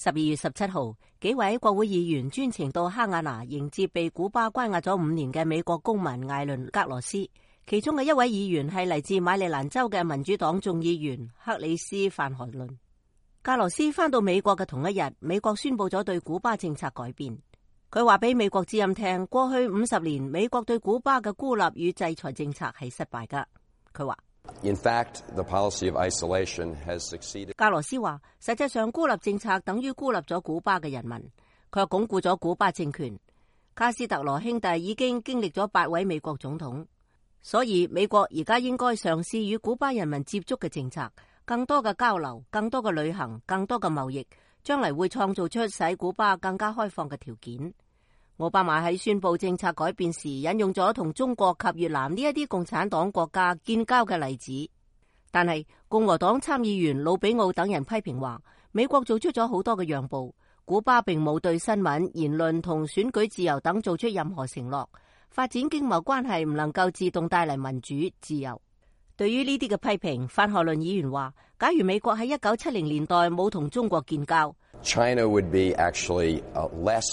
12月17號，幾位國會議員專程到哈瓦那迎接被古巴關押咗5年嘅美國公民艾倫格羅斯。其中嘅一位議員係嚟自馬里蘭州嘅民主黨眾議員克里斯范荷倫。格羅斯返到美國嘅同一日，美國宣布咗對古巴政策改變。佢話俾美國之音聽，過去50年美國對古巴嘅孤立與制裁政策係失敗㗎。佢話In fact, the policy of isolation has succeeded. 格羅斯話，實際上孤立政策等於孤立咗古巴嘅人民，佢又鞏固咗古巴政權。卡斯特羅兄弟已經經歷咗8位美國總統，所以美國而家應該嘗試與古巴人民接觸嘅政策，更多嘅交流，更多嘅旅行，更多嘅貿易，將嚟會創造出使古巴更加開放嘅條件。奧巴馬喺宣布政策改變時引用咗同中國及越南呢一啲共產黨國家建交嘅例子，但係共和黨參議員魯比奧等人批評話，美國做出咗好多嘅讓步，古巴並冇對新聞、言論同選舉自由等做出任何承諾，發展經貿關係唔能夠自動帶嚟民主自由。對於呢啲嘅批評，范荷倫議員話，假如美國喺1970年代冇同中國建交， China would be actually less.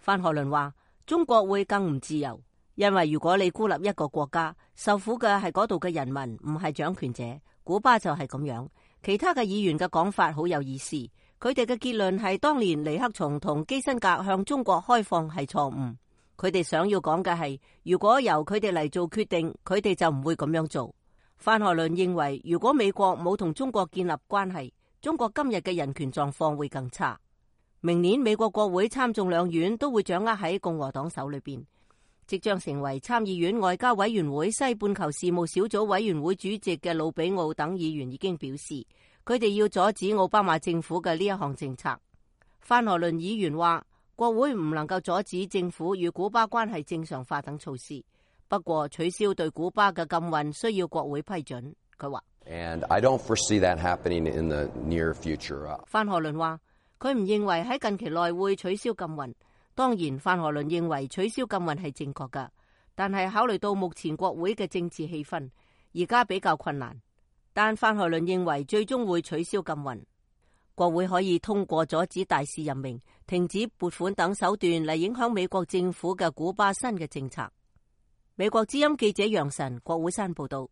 范荷倫話，中國會更唔自由，因為如果你孤立一個國家，受苦嘅係嗰度嘅人民，唔係掌權者。古巴就係咁樣。其他嘅議員嘅講法好有意思，佢哋嘅結論係當年尼克松同基辛格向中國開放係錯誤。佢哋想要講嘅係，如果由佢哋嚟做決定，佢哋就唔會咁樣做。范荷倫認為，如果美國冇同中國建立關係，中國今日嘅人權狀況會更差。明年美國國會參眾兩院都會掌握喺共和黨手裏邊。即將成為參議院外交委員會西半球事務小組委員會主席嘅魯比奧等議員已經表示，佢哋要阻止奧巴馬政府嘅呢一項政策。范荷倫議員話，國會唔能夠阻止政府與古巴關係正常化等措施，不過取消對古巴嘅禁運需要國會批准。佢話 And I don't foresee that happening in the near future. 范荷倫話，佢唔認為喺近期內會取消禁運。當然，范荷倫認為取消禁運係正確㗎，但係考慮到目前國會嘅政治氣氛，而家比較困難。但范荷倫認為最終會取消禁運，國會可以通過阻止大使任命、停止撥款等手段嚟影響美國政府嘅古巴新嘅政策。美國之音記者楊晨，國會山報道。